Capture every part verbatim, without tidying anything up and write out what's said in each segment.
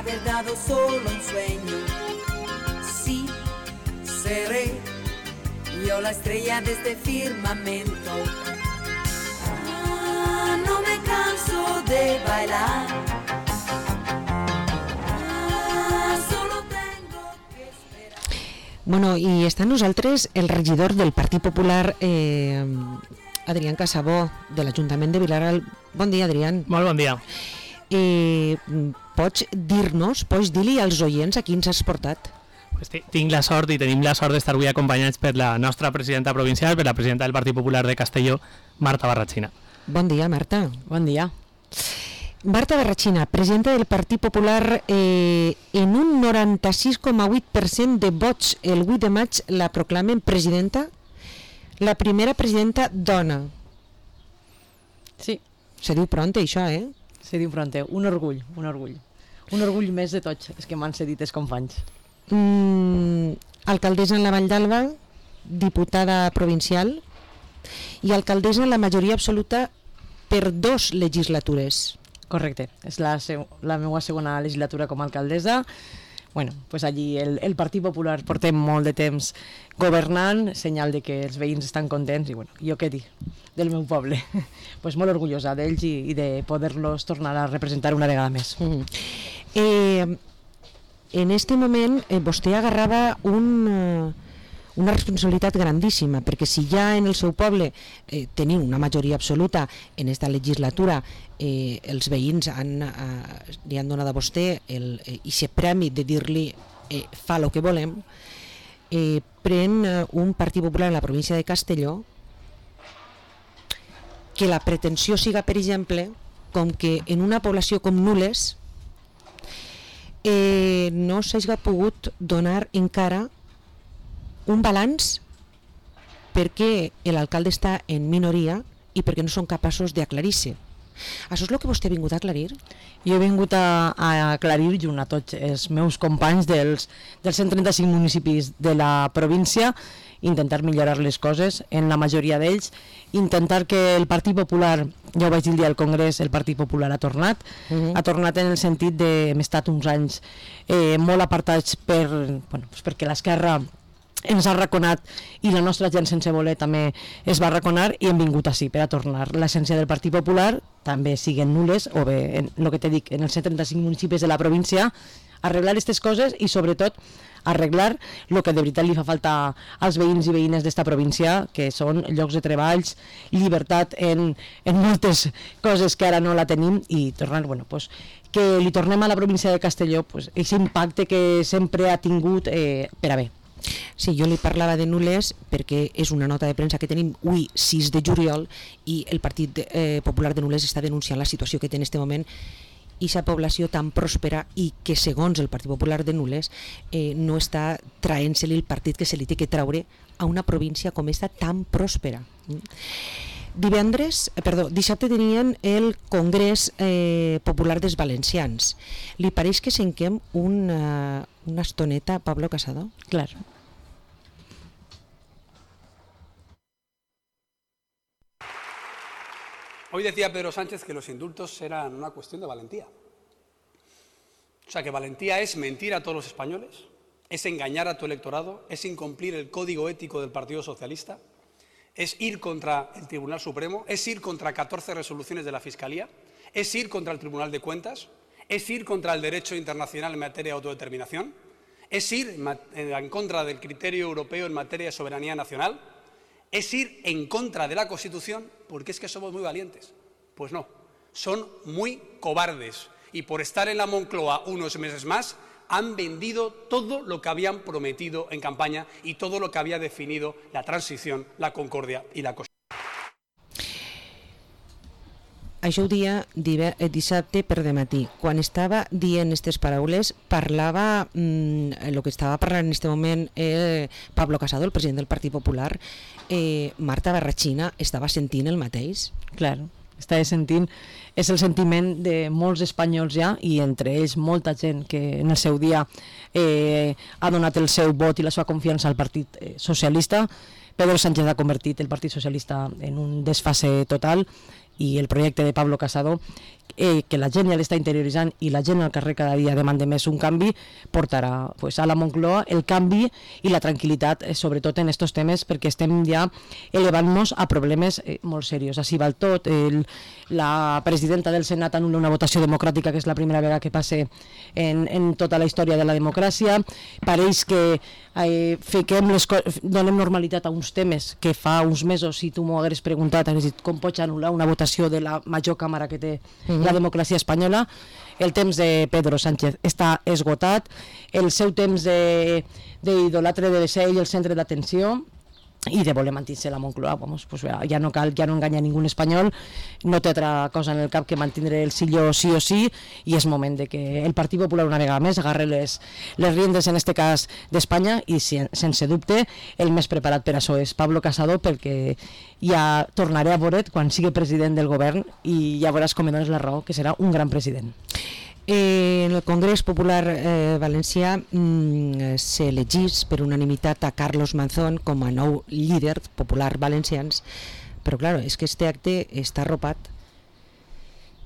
verdad o solo un sueño. Sí, seré yo la estrella de este firmamento. Ah, no me canso de bailar. Ah, solo tengo que esperar. Bueno, i està amb nosaltres el regidor del Partit Popular, eh, Adrián Casabó, de l'Ajuntament de Vilareal. Bon dia, Adrián. Molt bon dia. Eh, pots dir-nos, pots dir-li als oients a qui ens has portat? Pues tinc la sort i tenim la sort d'estar avui acompanyats per la nostra presidenta provincial, per la presidenta del Partit Popular de Castelló, Marta Barrachina. Bon dia, Marta. Bon dia. Marta Barrachina, presidenta del Partit Popular, eh, en un noranta-sis coma vuit per cent de vots el vuit de maig la proclamen presidenta, la primera presidenta dona. Sí. Se diu pronte, això, eh? Se diu pronte. Un orgull, un orgull. Un orgull més de tots els que m'han cedit els companys. Mm, alcaldessa en la Vall d'Alba, diputada provincial i alcaldessa en la majoria absoluta per dos legislatures. Correcte, és la, la meva segona legislatura com a alcaldessa. Bueno, pues allí el, el Partit Popular portem molt de temps governant, senyal de que els veïns estan contents i bueno, jo què dir del meu poble. Pues molt orgullosa d'ells i, i de poder-los tornar a representar una vegada més. Mm. Eh, en este moment eh, vostè agarrava un, eh, una responsabilitat grandíssima, perquè si ja en el seu poble eh, teniu una majoria absoluta en esta legislatura, eh, els veïns han, eh, li han donat a vostè el, eh, ese premi de dir-li eh, fa el que volem, eh, pren eh, un Partit Popular en la província de Castelló que la pretensió siga, per exemple, com que en una població com Nules eh, no s'hagi pogut donar encara un balanç perquè l'alcalde està en minoria i perquè no són capaços d'aclarir-se. Això és el que vostè ha vingut a aclarir? Jo he vingut a, a aclarir junt a tots els meus companys dels, dels cent trenta-cinc municipis de la província, intentar millorar les coses en la majoria d'ells, intentar que el Partit Popular, ja ho vaig dir el dia al Congrés, el Partit Popular ha tornat, uh-huh. ha tornat en el sentit de hem estat uns anys eh, molt apartats per, bueno, pues perquè l'esquerra ens ha arraconat i la nostra gent sense voler també es va arraconar i hem vingut així per a tornar l'essència del Partit Popular, també siguen nules o bé, en el que te dic, en els cent trenta-cinc municipis de la província, arreglar aquestes coses i sobretot arreglar el que de veritat li fa falta als veïns i veïnes d'esta província, que són llocs de treballs, llibertat en, en moltes coses que ara no la tenim i tornar, bueno, pues, que li tornem a la província de Castelló pues, aquest impacte que sempre ha tingut eh, per a bé. Sí, jo li parlava de Nules perquè és una nota de premsa que tenim avui sis de juliol i el Partit eh, Popular de Nules està denunciant la situació que té en aquest moment i aquesta població tan pròspera i que segons el Partit Popular de Nules eh, no està traient-se-li el partit que se li té que traure a una província com esta tan pròspera. Divendres, perdó, dissabte tenien el Congrés eh, Popular dels Valencians. Li pareix que senquem una, una estoneta a Pablo Casado? Clar. Hoy decía Pedro Sánchez que los indultos eran una cuestión de valentía. O sea, que valentía es mentir a todos los españoles, es engañar a tu electorado, es incumplir el código ético del Partido Socialista, es ir contra el Tribunal Supremo, es ir contra catorce resoluciones de la Fiscalía, es ir contra el Tribunal de Cuentas, es ir contra el derecho internacional en materia de autodeterminación, es ir en contra del criterio europeo en materia de soberanía nacional, es ir en contra de la Constitución, porque es que somos muy valientes. Pues no, son muy cobardes y por estar en la Moncloa unos meses más han vendido todo lo que habían prometido en campaña y todo lo que había definido la transición, la concordia y la Constitución. Això ho dia dissabte per dematí. Quan estava dient aquestes paraules, parlava, el mm, que estava parlant en aquest moment eh, Pablo Casado, el president del Partit Popular. Eh, Marta Barrachina estava sentint el mateix? Clar, estava sentint, és el sentiment de molts espanyols ja, i entre ells molta gent que en el seu dia eh, ha donat el seu vot i la seva confiança al Partit Socialista. Pedro Sánchez ha convertit el Partit Socialista en un desfase total i el projecte de Pablo Casado, eh, que la gent ja l'està interioritzant i la gent al carrer cada dia demanda més un canvi, portarà pues, a la Moncloa el canvi i la tranquil·litat, eh, sobretot en aquests temes, perquè estem ja elevant-nos a problemes eh, molt serios. Així va el tot. El, la presidenta del Senat anul·la una votació democràtica, que és la primera vegada que passa en, en tota la història de la democràcia. Pareix que eh, fiquem les donem normalitat a uns temes que fa uns mesos, si tu m'ho hagués preguntat, hagués dit com pots anul·lar una votació de la major càmera que té la democràcia espanyola. El temps de Pedro Sánchez està esgotat, el seu temps d'idolatre de, de ser ell el centre d'atenció i de voler mantenir la Moncloa, vamos, pues ja no cal, ja no enganya ningú espanyol, no té altra cosa en el cap que mantindre el silló sí o sí, i és moment de que el Partit Popular una vegada més agarre les, les riendes, en este cas d'Espanya, i sense dubte el més preparat per això és Pablo Casado, perquè ja tornaré a veure't quan sigui president del govern i ja veuràs com em dones la raó, que serà un gran president. Eh, en el Congrés Popular eh, Valencià mm, s'elegís per unanimitat a Carlos Mazón com a nou líder popular valencians, però clar, és que este acte està arropat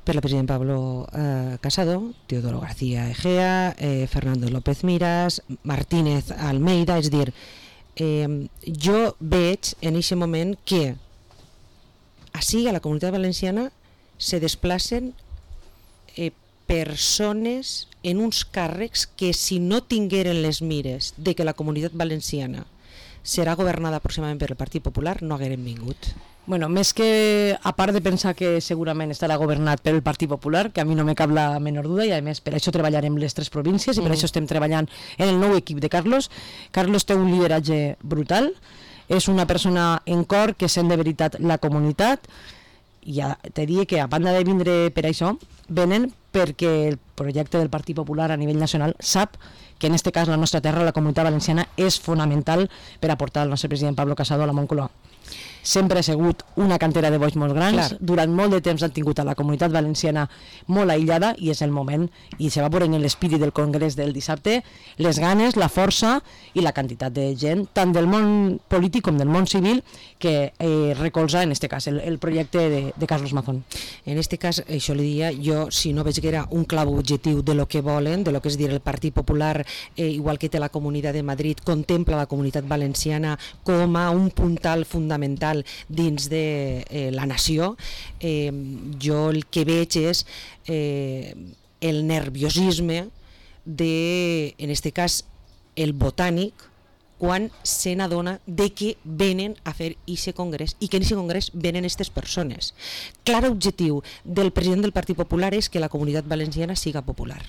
per la president Pablo eh, Casado, Teodoro García Egea, eh, Fernando López Miras, Martínez Almeida. És dir, eh, jo veig en aquest moment que així a la Comunitat Valenciana se desplacen eh, persones en uns càrrecs que, si no tingueren les mires de que la Comunitat Valenciana serà governada aproximadament per el Partit Popular, no hagueren vingut. Bueno, més que, a part de pensar que segurament estarà governat per el Partit Popular, que a mi no me cap la menor duda, i a més per això treballarem les tres províncies i per mm. això estem treballant en el nou equip de Carlos. Carlos té un lideratge brutal, és una persona en cor que sent de veritat la comunitat, i ja te diria que a banda de vindre per això, venen perquè el projecte del Partit Popular a nivell nacional sap que en aquest cas la nostra terra, la Comunitat Valenciana, és fonamental per aportar el nostre president Pablo Casado a la Moncloa. Sempre ha sigut una cantera de boix molt grans, clar. Durant molt de temps han tingut a la Comunitat Valenciana molt aïllada i és el moment, i se va veure en l'espírit del Congrés del dissabte, les ganes, la força i la quantitat de gent, tant del món polític com del món civil, que eh, recolza en aquest cas el, el projecte de, de Carlos Mazón. En aquest cas, això li dia, jo si no veig que era un clau objectiu de lo que volen, de lo que és dir el Partit Popular, eh, igual que té la Comunitat de Madrid, contempla la Comunitat Valenciana com a un puntal fundamental dins de eh, la nació, eh, jo el que veig és eh, el nerviosisme de, en este cas, el botànic, quan se n'adona de que venen a fer aquest congrés i que en aquest congrés venen aquestes persones. Clar objectiu del president del Partit Popular és que la Comunitat Valenciana siga popular.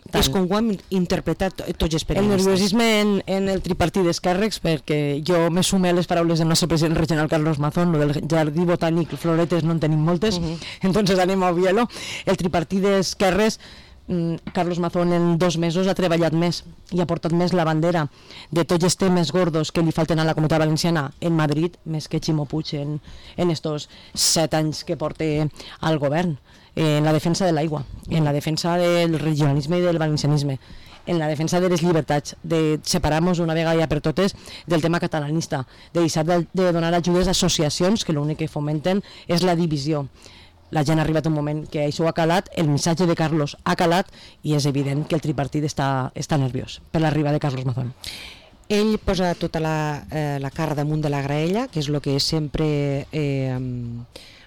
Tant. És com ho hem interpretat tots els periodistes. El nerviosisme en, en el tripartit d'esquerres, perquè jo me sume a les paraules del nostre president regional Carlos Mazón, lo del jardí botànic, floretes no en tenim moltes, uh-huh. Entonces anem a obviar-lo. El tripartit d'esquerres, Carlos Mazón en dos mesos ha treballat més i ha portat més la bandera de tots els temes gordos que li falten a la Comunitat Valenciana en Madrid, més que Ximo Puig en, en estos set anys que porta al govern, en la defensa de l'aigua, en la defensa del regionalisme i del valencianisme, en la defensa de les llibertats, de separar-nos una vegada ja per totes del tema catalanista, de deixar de, de donar ajudes a associacions que l'únic que fomenten és la divisió. La gent ha arribat un moment que això ha calat, el missatge de Carlos ha calat i és evident que el tripartit està, està nerviós per l'arribada de Carlos Mazón. Ell posa tota la, eh, la cara damunt de la graella, que és el que sempre... Eh,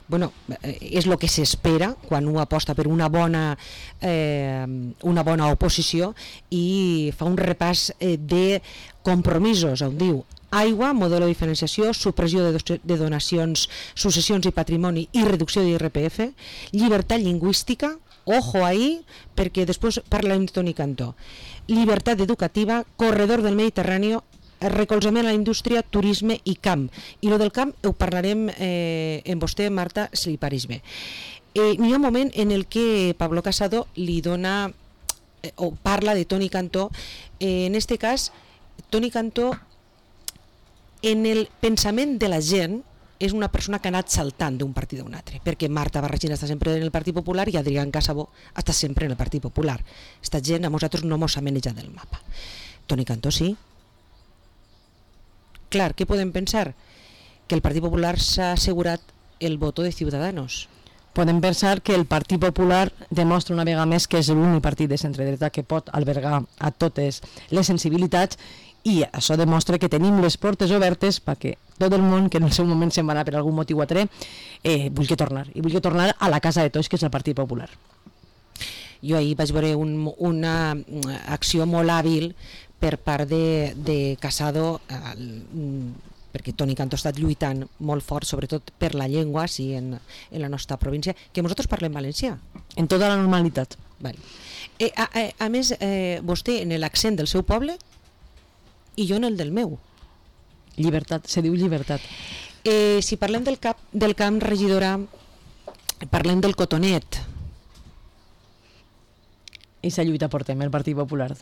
bueno, és el que s'espera quan un aposta per una bona, eh, una bona oposició, i fa un repàs eh, de compromisos, on diu aigua, model de diferenciació, supressió de, de donacions, successions i patrimoni i reducció d'I R P F, llibertat lingüística, ojo ahí, perquè després parlarem de Toni Cantó, llibertat educativa, corredor del Mediterrani, recolzament a la indústria, turisme i camp. I lo del camp ho parlarem eh, amb vostè, Marta, si li pareix bé. Eh, N'hi ha un moment en el que Pablo Casado li dona, eh, o parla de Toni Cantó, eh, en este cas, Toni Cantó, en el pensament de la gent, és una persona que ha anat saltant d'un partit a un altre, perquè Marta Barragina està sempre en el Partit Popular i Adrián Casabó està sempre en el Partit Popular. Esta gent a nosaltres no mos ha manejat del mapa. Toni Cantó sí. Clar, què podem pensar? Que el Partit Popular s'ha assegurat el voto de Ciudadanos. Podem pensar que el Partit Popular demostra una vegada més que és l'únic partit de centre-dreta que pot albergar a totes les sensibilitats, i això demostra que tenim les portes obertes perquè tot el món que en el seu moment se'n va anar per algun motiu altre eh, vulgui tornar, i vulgui tornar a la casa de tots, que és el Partit Popular. Jo ahir vaig veure un, una acció molt hàbil per part de, de Casado, eh, perquè Toni Cantó ha estat lluitant molt fort, sobretot per la llengua, sí, en, en la nostra província, que nosaltres parlem valencià. En tota la normalitat. Vale. Eh, a, a, a més, eh, vostè en l'accent del seu poble i jo en el del meu. Llibertat, se diu llibertat. Eh, si parlem del, cap, del camp, regidora, parlem del cotonet. I sa lluita portem, el Partit Popular.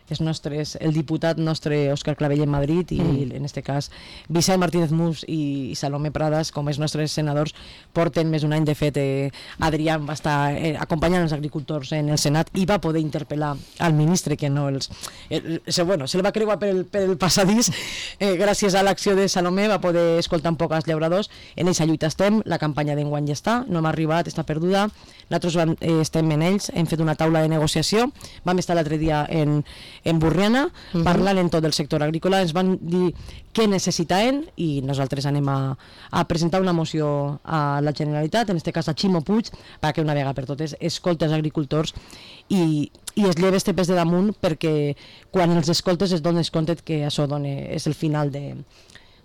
Els nostres, el diputat nostre Òscar Clavell en Madrid i mm. en este cas Vicent Martínez Mus i Salomé Pradas, com els nostres senadors, porten més d'un any. De fet, eh, Adrià va estar eh, acompanyant els agricultors en el Senat i va poder interpel·lar al ministre, que no els... Eh, se, bueno, se li va creuar per el, per el passadís, eh, gràcies a l'acció de Salomé va poder escoltar un poc als llauradors. En aquesta lluita estem, la campanya d'enguany ja està, no hem arribat, està perduda. Nosaltres vam, eh, estem en ells, hem fet una taula de negociació, vam estar l'altre dia en en Burriana, uh-huh. parlant en tot el sector agrícola, ens van dir què necessitaven i nosaltres anem a, a presentar una moció a la Generalitat, en aquest cas a Ximo Puig, perquè una vegada per totes escolta els agricultors i, i es lleva este pes de damunt, perquè quan els escoltes es dones compte que això dona, és el final de,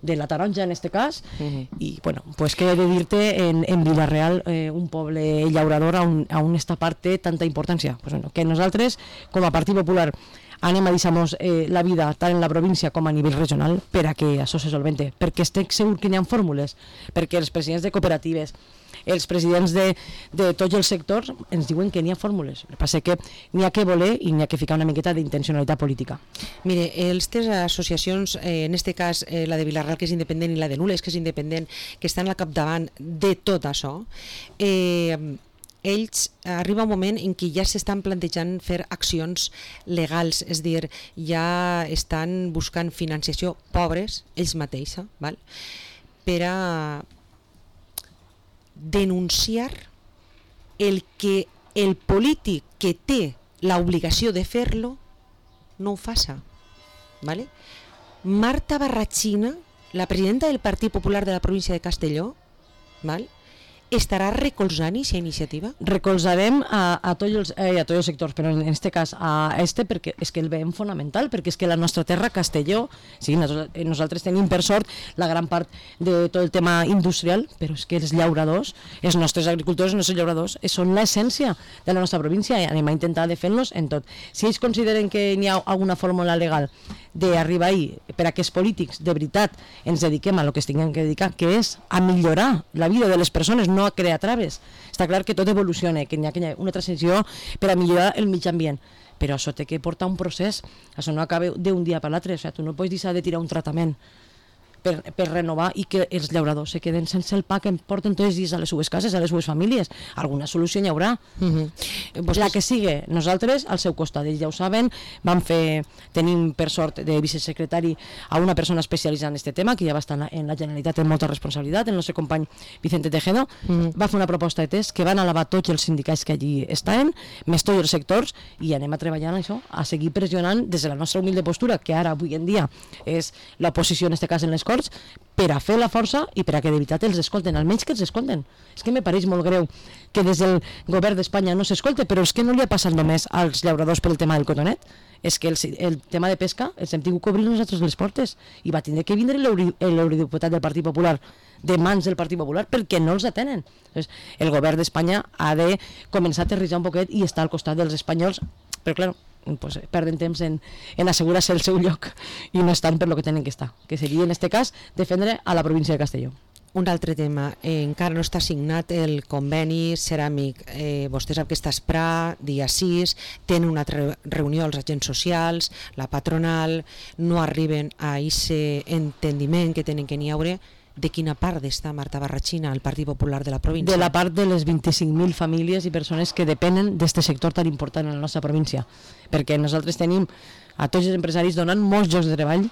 de la taronja en este cas, uh-huh. i bueno, pues què he de dir-te, en, en Vila-real, eh, un poble llaurador on, on esta part té tanta importància, pues bueno, que nosaltres com a Partit Popular anem a deixar-nos eh, la vida tant en la província com a nivell regional per a que això se solvente, perquè estic segur que n'hi ha fórmules, perquè els presidents de cooperatives, els presidents de, de tots els sectors ens diuen que n'hi ha fórmules. El que passa és que n'hi ha que voler i n'hi ha que ficar una miqueta d'intencionalitat política. Mire, aquestes associacions, eh, en este cas eh, la de Vila-real, que és independent, i la de Nules, que és independent, que estan al capdavant de tot això, eh, ells arriba un moment en què ja s'estan plantejant fer accions legals, és a dir, ja estan buscant financiació, pobres, ells mateixos, val? Per a denunciar el que el polític que té l'obligació de fer-lo no ho faça. Vale? Marta Barratxina, la presidenta del Partit Popular de la província de Castelló, val? estarà recolzant aquesta iniciativa? Recolzarem a, a, tots els, eh, a tots els sectors, però en aquest cas a este perquè és que el veiem fonamental, perquè és que la nostra terra, Castelló, sí, nosaltres, nosaltres tenim per sort la gran part de tot el tema industrial, però és que els llauradors, els nostres agricultors, els nostres llauradors, són l'essència de la nostra província i anem a intentar de fer-los en tot. Si ells consideren que n'hi ha alguna fórmula legal d'arribar ahí per a que els polítics de veritat ens dediquem a lo que es tinguem que dedicar, que és a millorar la vida de les persones, no a crear traves. Està clar que tot evoluciona, que hi ha una transició per a millorar el mig ambient, però això té que portar un procés, això no acaba d'un dia per l'altre, o sigui, tu no pots deixar de tirar un tractament per, per renovar i que els llauradors se queden sense el pa que em porten tots els dies a les seves cases, a les seves famílies. Alguna solució n'hi haurà. Uh-huh. La que sigui, nosaltres al seu costat, ells ja ho saben, vam fer, tenim per sort de vicesecretari a una persona especialitzada en aquest tema, que ja va estar en la Generalitat amb molta responsabilitat, el nostre company Vicente Tejero, uh-huh. va fer una proposta de test que van alabar tots els sindicats que allí estaven, més tots els sectors, i anem a treballar en això, a seguir pressionant des de la nostra humilde postura, que ara, avui en dia, és l'oposició en aquest cas en les Corts, per a fer la força i per a que de veritat els escolten, almenys que els escolten. És que me pareix molt greu que des del govern d'Espanya no s'escolte, però és que no li ha passat només als llauradors per el tema del cotonet, és que el, el tema de pesca els hem tingut que obrir nosaltres les portes i va tindre que vindre l'eurodiputat del Partit Popular de mans del Partit Popular perquè no els atenen. Entonces, el govern d'Espanya ha de començar a aterritzar un poquet i estar al costat dels espanyols, però clar, pues, perden temps en, en assegurar-se el seu lloc i no estan per lo que tenen que estar, que seria en aquest cas defendre a la província de Castelló. Un altre tema, eh, encara no està signat el conveni ceràmic. Eh, vostè sap que està a Esprà, dia sis, tenen una re reunió als agents socials, la patronal, no arriben a aquest entendiment que tenen que n'hi haure. De quina part està Marta Barratxina, el Partit Popular de la província? De la part de les vint-i-cinc mil famílies i persones que depenen d'aquest sector tan important en la nostra província, perquè nosaltres tenim a tots els empresaris donant molts llocs de treball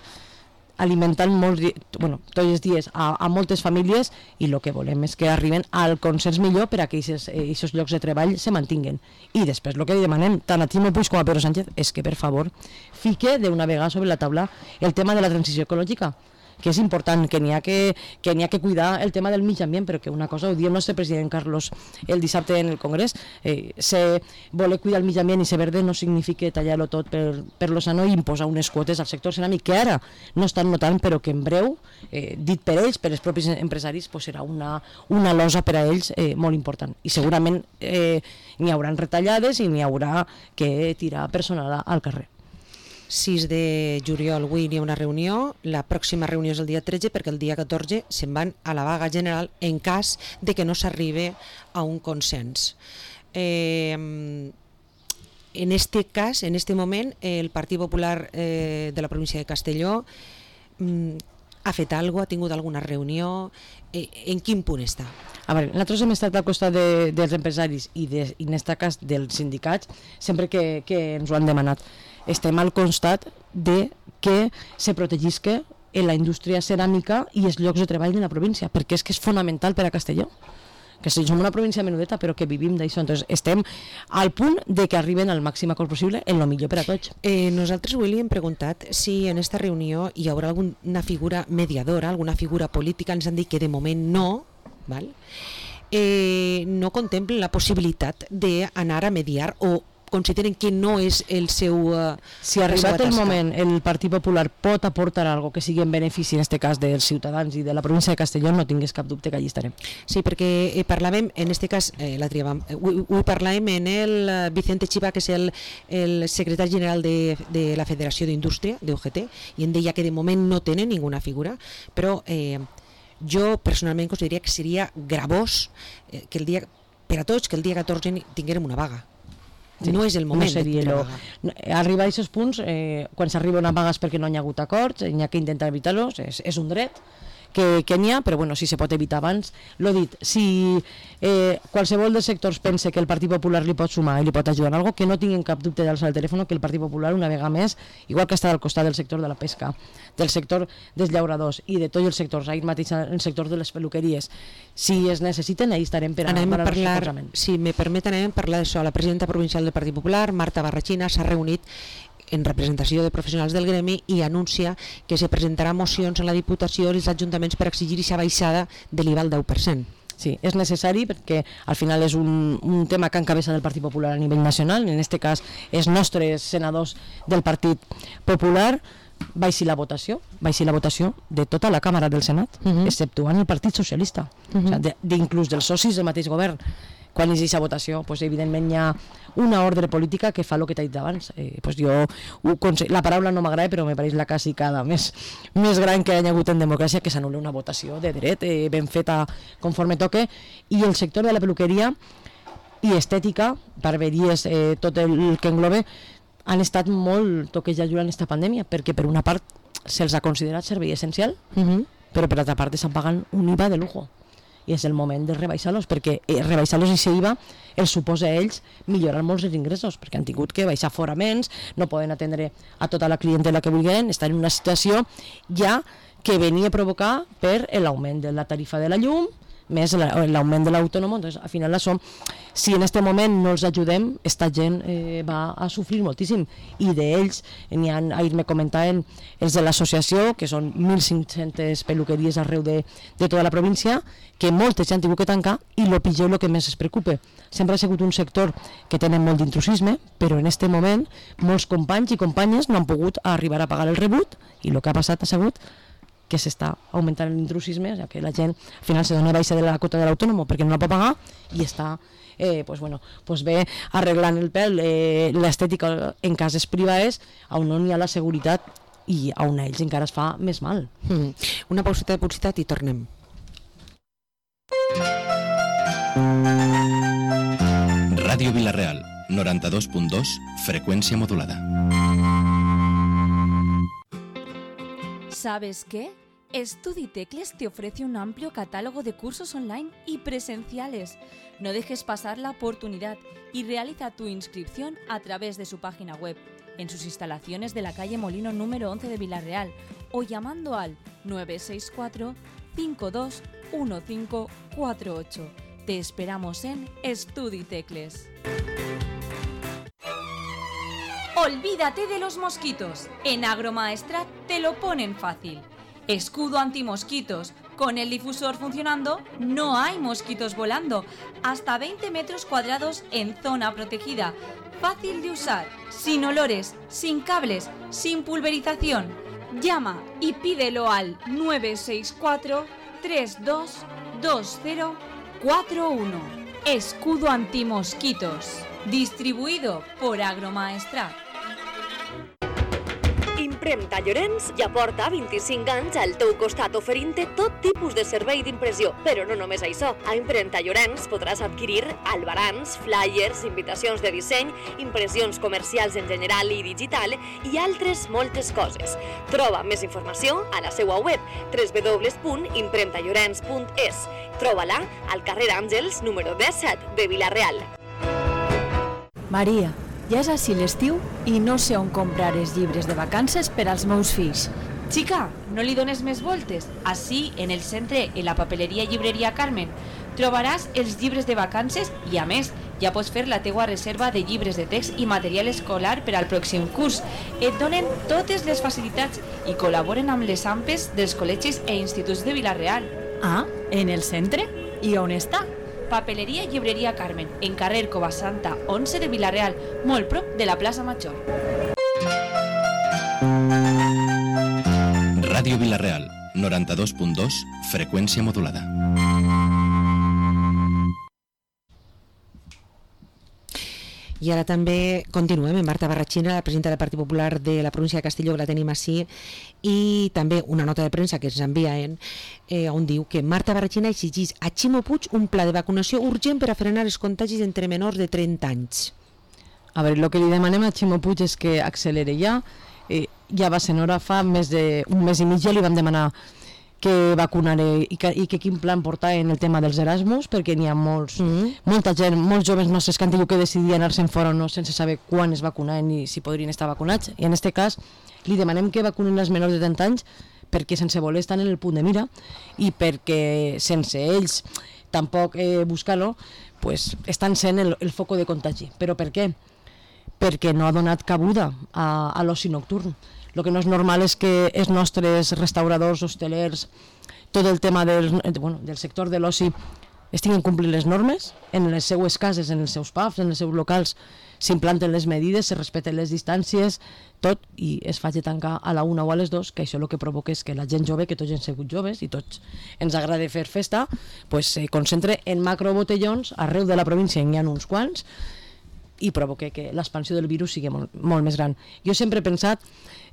alimentant molts, bueno, tots els dies a, a moltes famílies, i el que volem és que arriben al consens millor per a que aquests llocs de treball se mantinguen. I després el que li demanem tant a Ximo Puig com a Pedro Sánchez és que, per favor, fique d'una vegada sobre la taula el tema de la transició ecològica, que és important, que n'hi ha que, que n'hi ha que cuidar el tema del mig ambient, però que una cosa, ho diu el nostre president Carlos el dissabte en el Congrés, eh, se voler cuidar el mig ambient i ser verde no significa tallar-lo tot per, per lo sano i imposar unes quotes al sector ceràmic que ara no estan notant, però que en breu, eh, dit per ells, per els propis empresaris, pues serà una, una losa per a ells eh, molt important. I segurament eh, n'hi haurà retallades i n'hi haurà que tirar personal al carrer. sis de juliol, avui hi ha una reunió, la pròxima reunió és el dia tretze perquè el dia catorze se'n van a la vaga general en cas de que no s'arribe a un consens. Eh, en este cas, en este moment, el Partit Popular eh, de la província de Castelló mm, ha fet alguna cosa, ha tingut alguna reunió, eh, en quin punt està? A veure, nosaltres hem estat al costat de, dels empresaris i, de, i en aquest cas dels sindicats sempre que, que ens ho han demanat. Estem al costat de que se protegisca la indústria ceràmica i els llocs de treball de la província, perquè és que és fonamental per a Castelló. Que som una província menudeta però que vivim d'això, entonces estem al punt de que arriben al màxim acord possible en lo millor per a tots. Eh, nosaltres avui li hem preguntat si en esta reunió hi haurà alguna figura mediadora, alguna figura política, ens han dit que de moment no, val? Eh, no contemplen la possibilitat d'anar a mediar o consideren que no és el seu... Uh, si arribat el moment el Partit Popular pot aportar algo que sigui en benefici, en aquest cas, dels ciutadans i de la província de Castelló, no tingués cap dubte que allí estarem. Sí, perquè eh, parlàvem, en aquest cas, eh, la triàvem, eh, ho, ho parlàvem en el Vicente Chiva, que és el, el secretari general de, de la Federació d'Indústria, de U G T, i em deia que de moment no tenen ninguna figura, però eh, jo personalment consideraria que seria gravós eh, que el dia, per a tots, que el dia catorze tinguérem una vaga. Sí, no és el moment no seria de lo... Arribar a aquests punts, eh, quan s'arriba a una vaga és perquè no hi ha hagut acords, n'hi ha que intentar evitar-los, és, és un dret que, que n'hi ha, però bueno, si se pot evitar abans. L'ho dit, si eh, qualsevol dels sectors pensa que el Partit Popular li pot sumar i li pot ajudar en alguna cosa, que no tinguin cap dubte d'alçar el telèfon, que el Partit Popular una vegada més, igual que està al costat del sector de la pesca, del sector dels llauradors i de tots els sectors, ahir mateix el sector de les peluqueries, si es necessiten, ahí estarem per a, anem per a parlar, si me permeten, anem a parlar d'això. La presidenta provincial del Partit Popular, Marta Barrachina, s'ha reunit en representació de professionals del gremi i anuncia que se presentarà mocions a la Diputació i als ajuntaments per exigir aquesta baixada de l'I V A al deu per cent. Sí, és necessari perquè al final és un, un tema que encabeza del Partit Popular a nivell nacional, en aquest cas els nostres senadors del Partit Popular, baixi la votació, baixi la votació de tota la Càmera del Senat, uh-huh. exceptuant el Partit Socialista, uh-huh. o sigui, d'inclús dels socis del mateix govern. Quan hi ha aquesta votació, pues, evidentment hi ha una ordre política que fa el que t'he dit abans. Eh, pues jo, la paraula no m'agrada, però me pareix la casicada més, més gran que hi ha hagut en democràcia, que s'anul·la una votació de dret, eh, ben feta conforme toque, i el sector de la peluqueria i estètica, barberies, eh, tot el que englobe, han estat molt toquejats durant aquesta pandèmia, perquè per una part se'ls ha considerat servei essencial, uh-huh. però per altra part estan pagant un I V A de lujo. I és el moment de rebaixar-los, perquè eh, rebaixar-los i aquest I V A els suposa a ells millorar molts els ingressos, perquè han tingut que baixar foraments, no poden atendre a tota la clientela que vulguin, estan en una situació ja que venia a provocar per l'augment de la tarifa de la llum, més l'augment de l'autònom. Entonces, al final, això, si en aquest moment no els ajudem, esta gent eh, va a sofrir moltíssim. I d'ells, n'hi ha, ahir me comentaven els de l'associació, que són mil cinc-centes peluqueries arreu de, de tota la província, que moltes ja han tingut que tancar, i el pitjor és el que més es preocupa. Sempre ha sigut un sector que tenen molt d'intrusisme, però en aquest moment molts companys i companyes no han pogut arribar a pagar el rebut, i el que ha passat ha sigut que s'està augmentant l'intrusisme, o sigui, que la gent al final se dona baixa de la quota de l'autònom perquè no la pot pagar i està eh, pues, bueno, pues bé arreglant el pèl, eh, l'estètica en cases privades on no hi ha la seguretat i on a ells encara es fa més mal. Mm. Una pauseta de publicitat i tornem. Ràdio Vila-real, noranta-dos punt dos, frecuencia modulada. ¿Sabes qué? Studitecles te ofrece un amplio catálogo de cursos online y presenciales. No dejes pasar la oportunidad y realiza tu inscripción a través de su página web, en sus instalaciones de la calle Molino número once de Vila-real, o llamando al nueve seis cuatro, cinco dos uno cinco cuatro ocho. Te esperamos en Estudi Tecles. Olvídate de los mosquitos. En Agromaestrat te lo ponen fácil. Escudo antimosquitos. Con el difusor funcionando, no hay mosquitos volando. Hasta veinte metros cuadrados en zona protegida. Fácil de usar, sin olores, sin cables, sin pulverización. Llama y pídelo al nueve seis cuatro, tres dos dos cero cuatro uno. Escudo antimosquitos. Distribuïdo por Agromaestrat. Impremta Llorenç ja porta vint-i-cinc anys al teu costat oferint-te tot tipus de servei d'impressió. Però no només això. A Impremta Llorenç podràs adquirir albarans, flyers, invitacions de disseny, impressions comercials en general i digital i altres moltes coses. Troba més informació a la seva web w w w punt impremta llorenç punt es. Troba-la al carrer Àngels, número disset de Vila-real. Maria, ja és així l'estiu i no sé on comprar els llibres de vacances per als meus fills. Chica, no li dones més voltes. Així, en el centre, en la papeleria Llibreria Carmen, trobaràs els llibres de vacances i, a més, ja pots fer la teua reserva de llibres de text i material escolar per al pròxim curs. Et donen totes les facilitats i col·laboren amb les AMPes dels col·legis e instituts de Vila-real. Ah, en el centre? I on està? Papeleria Llibreria Carmen, en carrer Covasanta onze de Vila-real, molt prop de la plaça Major. Ràdio Vila-real, noranta-dos punt dos, freqüència modulada. I ara també continuem amb Marta Barratxina, la presidenta del Partit Popular de la província de Castelló, que la tenim així, i també una nota de premsa que ens envien, eh, on diu que Marta Barratxina exigís a Ximo Puig un pla de vacunació urgent per a frenar els contagis entre menors de trenta anys. A veure, el que li demanem a Ximo Puig és que accelere ja. Eh, ja va ser hora, fa més d'un mes i mig ja li vam demanar que vacunaré i que, i que quin plan portar en el tema dels Erasmus, perquè n'hi ha molts, mm. molta gent, molts joves nostres que han tingut que decidir anar-se'n fora o no sense saber quan es vacunaven ni si podrien estar vacunats. I en aquest cas li demanem que vacunen els menors de trenta anys perquè sense voler estan en el punt de mira i perquè sense ells tampoc eh, buscar-lo, pues, estan sent el, el foco de contagi. Però per què? Perquè no ha donat cabuda a, a l'oci nocturn. El que no és normal és que els nostres restauradors, hostelers, tot el tema del, bueno, del sector de l'oci estiguin complint les normes, en les seues cases, en els seus pubs, en els seus locals, s'implanten les medides, se respecten les distàncies, tot, i es faci tancar a la una o a les dos, que això el que provoca és que la gent jove, que tots hem sigut joves i tots ens agrada fer festa, pues, se concentre en macrobotellons, arreu de la província n'hi ha uns quants, i provoca que l'expansió del virus sigui molt, molt més gran. Jo sempre he pensat,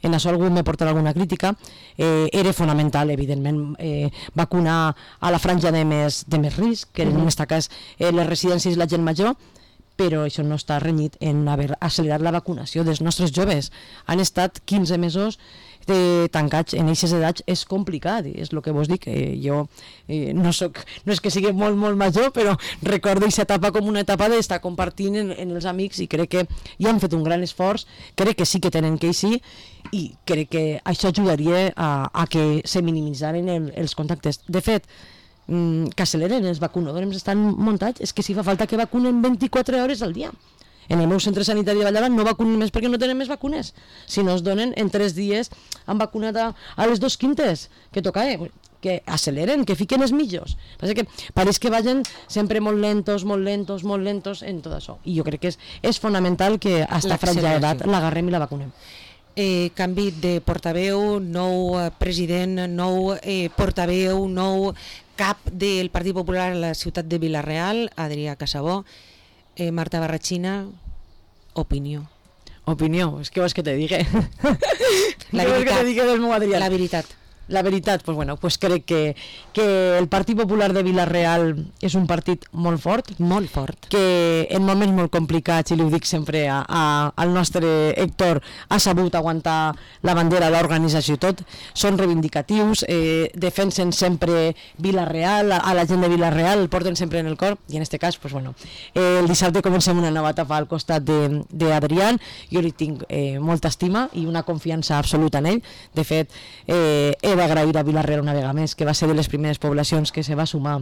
en això algú m'ha portat alguna crítica, eh, era fonamental, evidentment, eh, vacunar a la franja de més, de més risc, que en aquest cas eh, les residències i la gent major, però això no està renyit en haver accelerat la vacunació dels nostres joves. Han estat quinze mesos de tancats en aquestes edats, és complicat, és el que vos dic. Eh, jo eh, no, soc, no és que sigui molt, molt major, però recordo aquesta etapa com una etapa d'estar compartint en, en els amics i crec que ja han fet un gran esforç, crec que sí que tenen que eixir i crec que això ajudaria a, a que se minimitzaren el, els contactes. De fet, mm, que acceleren, els vacunadors estan muntats, és que si fa falta que vacunen vint-i-quatre hores al dia. En el meu centre sanitari de Valldaran no vacunen més perquè no tenen més vacunes. Si no es donen, en tres dies han vacunat a, a les dos quintes que toca, eh? Que acceleren, que fiquen els mitjos. Passa que pareix que vagin sempre molt lentos, molt lentos, molt lentos en tot això. I jo crec que és, és fonamental que a esta franja d'edat l'agarrem i la vacunem. Eh, canvi de portaveu, nou eh, president, nou eh, portaveu, nou cap del Partit Popular a la ciutat de Vila-real, Adrià Casabó. Eh, Marta Barratxina, opinió. Opinió, és que vols que te digui? La veritat. Que te digui del meu Adrià? La veritat. La veritat, pues bueno, pues crec que, que el Partit Popular de Vila-real és un partit molt fort, molt fort, que en moments molt complicats, i li ho dic sempre a, a, al nostre Héctor, ha sabut aguantar la bandera, l'organització i tot, són reivindicatius, eh, defensen sempre Vila-real, a, a la gent de Vila-real, el porten sempre en el cor, i en aquest cas, pues bueno, eh, el dissabte comencem una nova etapa al costat d'Adrián, jo li tinc eh, molta estima i una confiança absoluta en ell. De fet, eh, he d'agrair a Vila-real una vegada més, que va ser de les primeres poblacions que se va sumar,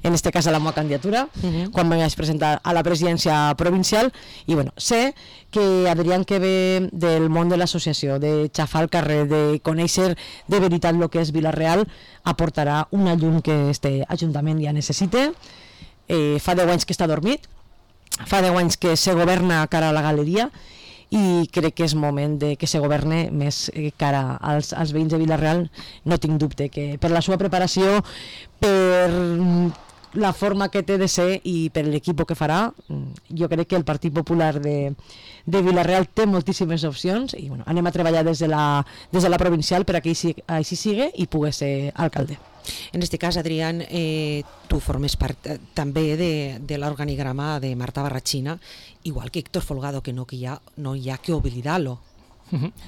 en este cas a la meva candidatura, uh-huh. quan me vaig presentar a la presidència provincial, i bueno, sé que Adrián, que ve del món de l'associació, de xafar al carrer, de conèixer de veritat el que és Vila-real, aportarà una llum que este ajuntament ja necessita. Eh, fa deu anys que està dormit, fa deu anys que se governa cara a la galeria, i crec que és moment de que se governe més cara als, als veïns de Vila-real. No tinc dubte que per la seva preparació, per la forma que té de ser i per l'equip que farà, jo crec que el Partit Popular de, de Vila-real té moltíssimes opcions, i bueno, anem a treballar des de la, des de la provincial per a que així, així sigui i pugui ser alcalde. En este cas, Adrián, eh, tu formes part eh, també de, de l'organigrama de Marta Barrachina, igual que Héctor Folgado, que no, que hi ha, no hi ha que oblidar-lo.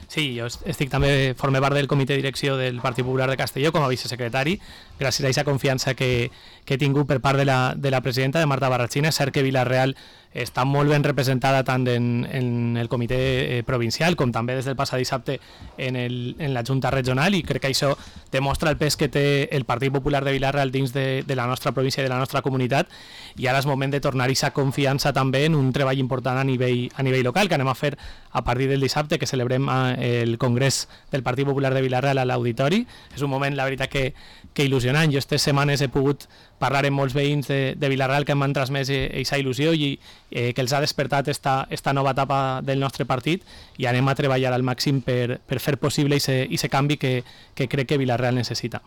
Sí, jo estic també, formé part del comitè de direcció del Partit Popular de Castelló com a vicesecretari, gràcies a aquesta confiança que, que he tingut per part de la, de la presidenta, de Marta Barrachina. És cert que Vila-real està molt ben representada tant en, en el comitè eh, provincial com també des del passat dissabte en, el, en la Junta Regional, i crec que això demostra el pes que té el Partit Popular de Vila-real dins de, de la nostra província i de la nostra comunitat, i ara és moment de tornar aquesta confiança també en un treball important a nivell, a nivell local, que anem a fer a partir del dissabte, que celebrem el Congrés del Partit Popular de Vila-real a l'Auditori. És un moment, la veritat, que, que il·lusionant. Jo aquestes setmanes he pogut parlar amb molts veïns de, de Vila-real que m'han transmès aquesta il·lusió i eh, que els ha despertat esta, esta nova etapa del nostre partit, i anem a treballar al màxim per, per fer possible aquest canvi que, que crec que Vila-real necessita.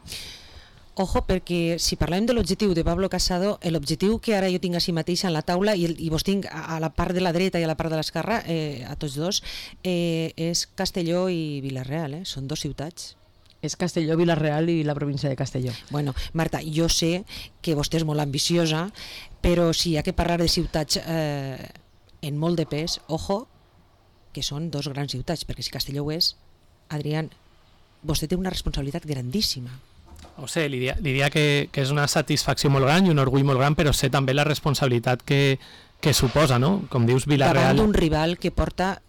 Ojo, perquè si parlem de l'objectiu de Pablo Casado, l'objectiu que ara jo tinc així mateix en la taula, i, el, i vos tinc a, a la part de la dreta i a la part de l'esquerra, eh, a tots dos, eh, és Castelló i Vila-real, eh? Són dos ciutats. És Castelló, Vila-real i la província de Castelló. Bueno, Marta, jo sé que vostè és molt ambiciosa, però si hi ha que parlar de ciutats eh, en molt de pes, ojo, que són dos grans ciutats, perquè si Castelló ho és, Adrián, vostè té una responsabilitat grandíssima. O sé, li diria que, que és una satisfacció molt gran i un orgull molt gran, però sé també la responsabilitat que, que suposa, no? Com dius, Vila-real... Davant d'un rival que porta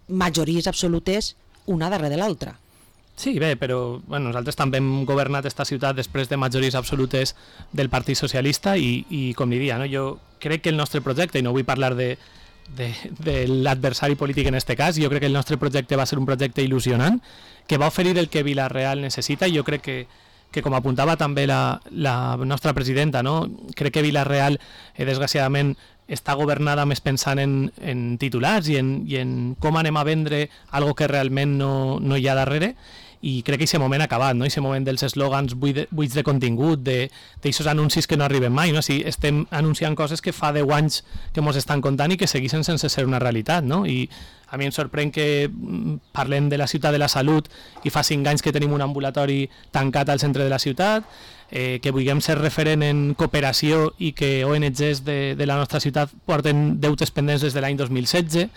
majories absolutes una darrere de l'altra. Sí, bé, però bueno, nosaltres també hem governat aquesta ciutat després de majories absolutes del Partit Socialista i, i com diria, no? Jo crec que el nostre projecte, i no vull parlar de, de, de l'adversari polític en aquest cas, jo crec que el nostre projecte va ser un projecte il·lusionant, que va oferir el que Vila-real necessita, i jo crec que que com apuntava també la, la nostra presidenta, no? Crec que Vila-real, eh, desgraciadament, està governada més pensant en, en titulars i en, i en com anem a vendre algo que realment no, no hi ha darrere, i crec que aquest moment ha acabat, no? Aquest moment dels eslògans buits de, buits de contingut, d'aixòs anuncis que no arriben mai, no? Si estem anunciant coses que fa deu anys que ens estan contant i que segueixen sense ser una realitat, no? I a mi em sorprèn que parlem de la ciutat de la salut i fa cinc anys que tenim un ambulatori tancat al centre de la ciutat, eh, que vulguem ser referent en cooperació i que O N Ges de, de la nostra ciutat porten deutes pendents des de l'any dos mil setze.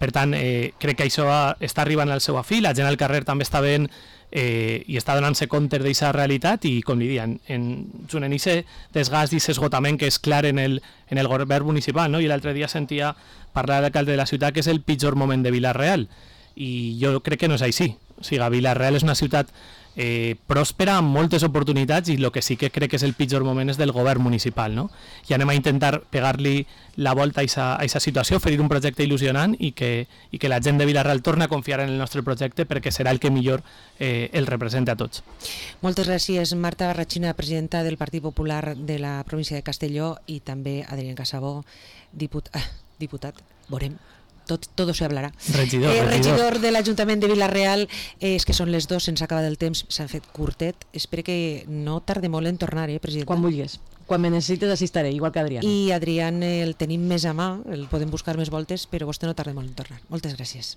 Per tant, eh, crec que això està arribant al seu afí, la gent al carrer també està veient eh, i està donant-se compte d'aquesta realitat, i com li diuen, en, en aquest desgast i aquest esgotament que és clar en el, en el govern municipal, no? I l'altre dia sentia parlar d'alcalde de la ciutat que és el pitjor moment de Vila-real, i jo crec que no és així. O sigui, Vila-real és una ciutat eh, pròspera, amb moltes oportunitats, i el que sí que crec que és el pitjor moment és del govern municipal, no? I anem a intentar pegar-li la volta a aquesta situació, oferir un projecte il·lusionant i que, i que la gent de Vila-real torni a confiar en el nostre projecte, perquè serà el que millor eh, el representa a tots. Moltes gràcies, Marta Barrachina, presidenta del Partit Popular de la província de Castelló, i també Adrián Casabó, diput ah, diputat, veurem. Tot, todo se hablarà. Regidor, eh, regidor. regidor de l'Ajuntament de Vila-real, eh, és que són les dos, se'ns acaba del temps, s'ha fet curtet. Espero que no tarde molt en tornar, eh, presidenta? Quan vulguis. Quan me necessites assistaré, igual que Adrián. I Adrián el tenim més a mà, el podem buscar més voltes, però vostè no tarda molt en tornar. Moltes gràcies.